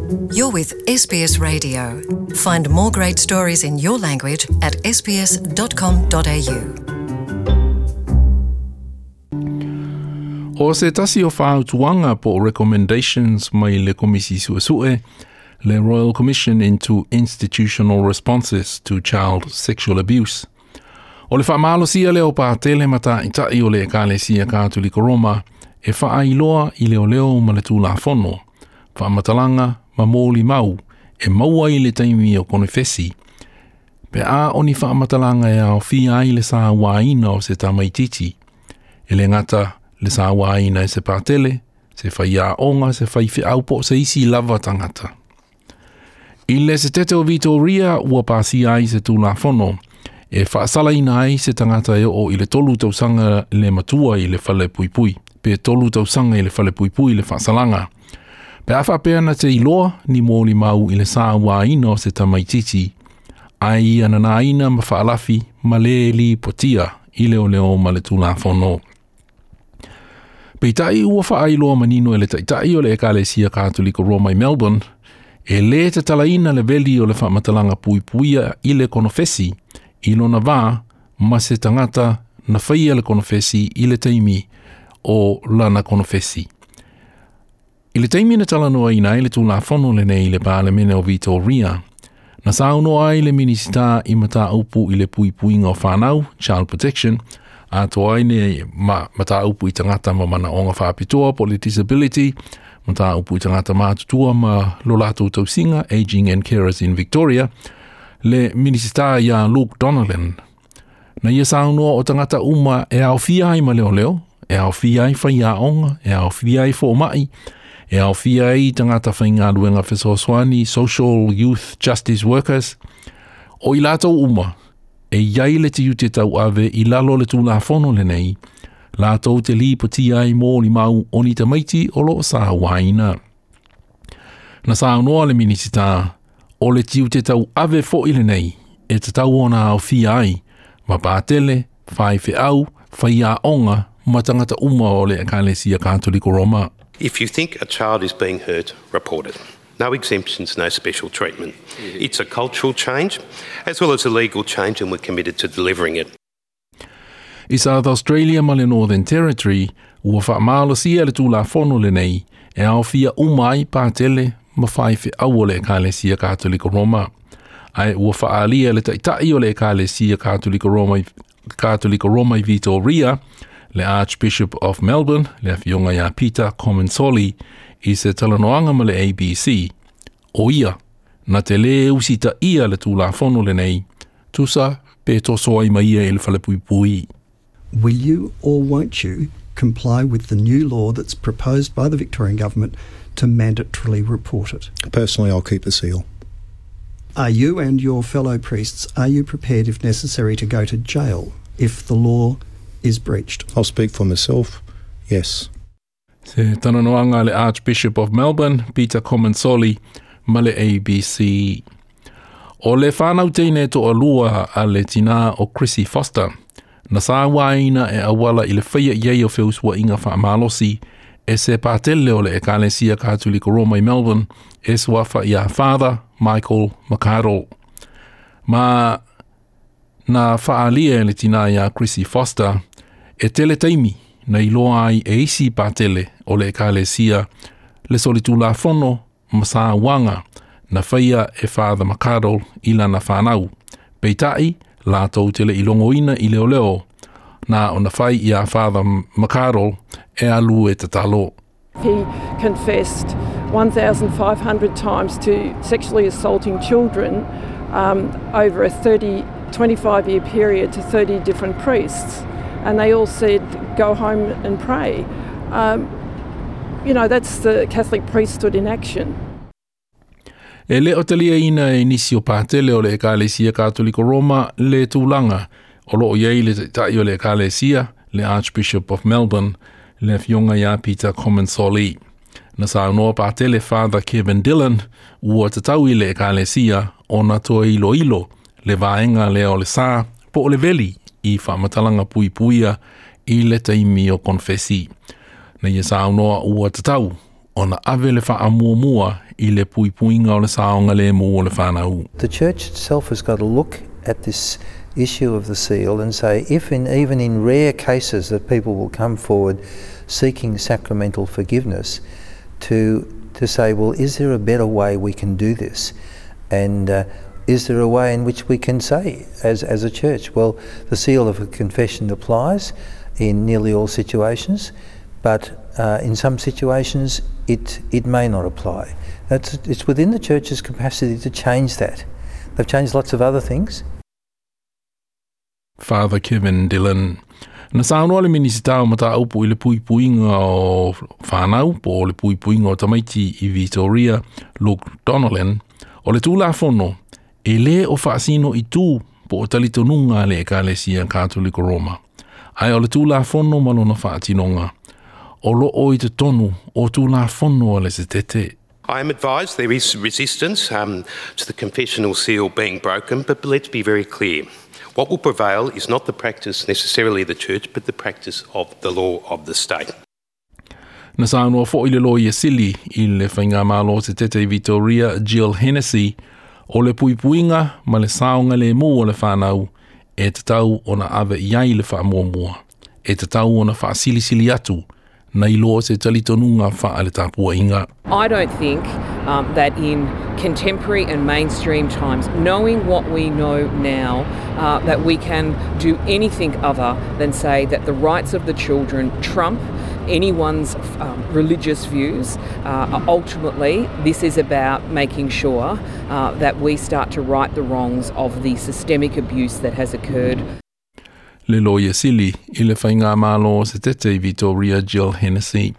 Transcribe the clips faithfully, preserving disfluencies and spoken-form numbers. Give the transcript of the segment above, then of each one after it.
You're with S B S Radio. Find more great stories in your language at S B S dot com dot A U. O se tasi o fautuaga po o recommendations mai le Komisi Suesue, le Royal Commission into Institutional Responses to Child Sexual Abuse. O le faamalosia lea o patele ma taʻitaʻi o le Ekalesia Katoliko Roma e faailoa i leoleo ma le Tulafono, faamatalaga ma molimau e maua i le taimi o konefesi. Pe a o ni faamatalaga e aofia ai le sauaina o se tamaititi. E le gata le sauaina e se patele, se faiaoga, se faifeau po o se isi lava tagata. I le Setete o Vitoria ua pasia ai se Tulafono e faasalaina ai se tagata e oo i le tolu tausaga le matua i le fale puipui, pe tolu tausaga i le fale puipui le faasalaga. Pe a faapea na te iloa ni molimau i le sauaina o se tamaititi, ai ia nanaina ma faalafi ma le lipotia i leoleo ma le Tulafono. Peitai ua faailoa manino e le taʻitaʻi o le Ekalesia Katoliko Roma i Melbourne, e lē tatalaina le veli o le faamatalaga puipuia i le konofesi i lona vā ma se tagata na faia le konofesi i le taimi o lana konofesi. I le taimi na talanoaina ai le Tulafono lenei i le Palemene o Vitoria, na saunoa ai le Minisita i Mataupu i le Puipuiga o Fanau, Child Protection, atoa ai le ma mataupu i tagata ma manaoga faapitoa po le disability, mataupu i tagata matutua ma lo latou tausiga, Aging and Carers in Victoria, le Minisita ia Luke Donnellan. Na ia saunoa o tagata uma e aofia ai ma leoleo, e aofia ai faiaoga, e aofia ai fomai, e aofia ai tagata faigaluega fesoasoani, social youth justice workers, o i latou uma, e iai le tiute tauave i lalo le Tulafono lenei, latou te lipotia ai molimau o ni tamaiti o loo sauaina. Na saunoa le Minisita, o le tiute tauave foʻi lenei, e tatau ona aofia ai, ma patele, faifeau, faiaoga, ma tagata uma o le Ekalesia Katoliko Roma. If you think a child is being hurt, report it. No exemptions, no special treatment. It's a cultural change as well as a legal change, and we're committed to delivering it. I South Australia ma le Northern Territory, ua faamalosia le Tulafono lenei e aofia uma ai patele ma faifeau o le Ekalesia Katoliko Roma. Ae ua faaalia le taʻitaʻi o le Ekalesia Katoliko Roma, Katoliko Roma i Vitoria, le Archbishop of Melbourne, le afioga ia Peter Comensoli, i se talanoaga ma le A B C. O ia, na te lē usitaia le Tulafono lenei, tusa pe toso ai ma ia i le falepuipui. Will you or won't you comply with the new law that's proposed by the Victorian Government to mandatorily report it? Personally, I'll keep the seal. Are you and your fellow priests, are you prepared, if necessary, to go to jail if the law is breached? I'll speak for myself. Yes. Se talanoaga le Archbishop of Melbourne, Peter Comensoli, ma le A B C. O le fanau teine toalua a le tinā o Chrissy Foster, na sauaina e auala i le faia i ai o feusuaiga faamalosi e se patele o le Ekalesia Katoliko Roma i Melbourne e suafa ia Father Michael McArdle. Ma na faaalia e le tinā ia Chrissy Foster e tele taimi na iloa ai e isi patele o le Ekalesia le solitulafono ma sauaga na faia e Father McArdle i lana fanau. Peitai, latou te le i logoina i leoleo, na ona fai ia Father McArdle e alu e tatalo. He confessed one thousand five hundred times to sexually assaulting children um, over a thirty, twenty-five year period to thirty different priests. And they all said, "Go home and pray." Um, you know, that's the Catholic priesthood in action. E le o taliaina e nisi o patele o le Ekalesia Katoliko Roma le tulaga o loo i ai le taʻitaʻi o le Ekalesia, le Archbishop of Melbourne, le afioga ia Peter Comensoli. Na saunoa patele Father Kevin Dillon ua tatau i le Ekalesia ona toe iloilo le vaega lea o le sa po o le veli i faamatalaga puipuia i le taimi o konefesi. Na ia saunoa ua tatau ona ave le faamuamua i le puipuiga o le saogalemu o le fanau. The church itself has got to look at this issue of the seal and say if in, even in rare cases that people will come forward seeking sacramental forgiveness, to, to say, well, is there a better way we can do this? And uh, is there a way in which we can say, as, as a church, well, the seal of a confession applies in nearly all situations, but uh, in some situations it, it may not apply. That's, it's within the church's capacity to change that. They've changed lots of other things. Father Kevin Dillon. Na saunoa le Minisita o Mataupu i le puipuiga o fanau, po o le puipuiga o tamaiti i Victoria, Luke Donnellan, o le Tulafono, e lē o faasino i tu po o talitonuga a le Ekalesia Katoliko Roma. Ae o le Tulafono ma lona faatinoga, o loo i totonu o Tulafono a le Setete. I am advised there is resistance um, to the confessional seal being broken, but let's be very clear. What will prevail is not the practice necessarily of the church, but the practice of the law of the state. Na saunoa foʻi le Loia Sili i le Faigamalo Setete i Victoria, Jill Hennessy, o le puipuiga ma le saogalemu o le fanau e tatau ona ave i ai le faamuamua. E tatau ona faasilisili atu nai lo se talitonuga faaletapuaiga. I don't think um, that in contemporary and mainstream times, knowing what we know now, uh, that we can do anything other than say that the rights of the children trump anyone's um, religious views. Uh, ultimately, this is about making sure uh, that we start to right the wrongs of the systemic abuse that has occurred. Le Loia Sili i le Faigamalo Setete i Victoria, Jill Hennessy.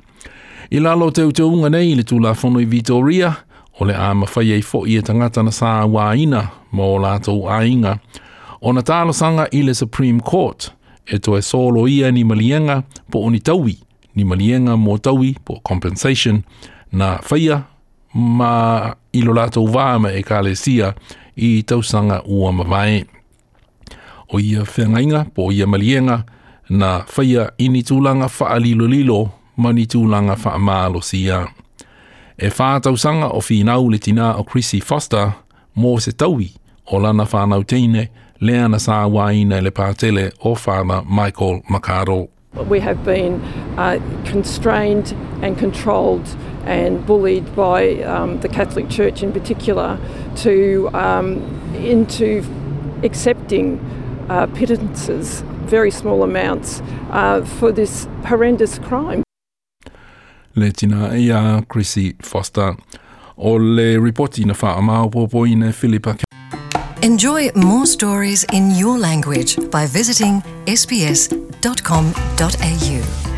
I lalo o teuteuga nei i le Tulafono i Victoria, o le a mafai ai foʻi e tagata na sauaina ma o latou aiga ona talosaga i le Supreme Court e toe soloia ni maliega po o ni taui, ni maliega mo taui po compensation na faia ma i lo latou va ma ekalesia i tausaga ua mavae. O ia feagaiga po o ia maliega na faia i ni tulaga faalilolilo ma ni tulaga faamalosia. E whā tausaga o finau le tinā o Chrissy Foster mo se taui o lana whānau teine lea na sauaina e le patele o Father Michael McArdle. We have been uh, constrained and controlled and bullied by um, the Catholic Church in particular to um, into accepting uh, pittances, very small amounts, uh, for this horrendous crime. Le tina ia Chrissy Foster. O le ripoti na whaamaopopoina Philippa. Enjoy more stories in your language by visiting S B S dot com dot A U.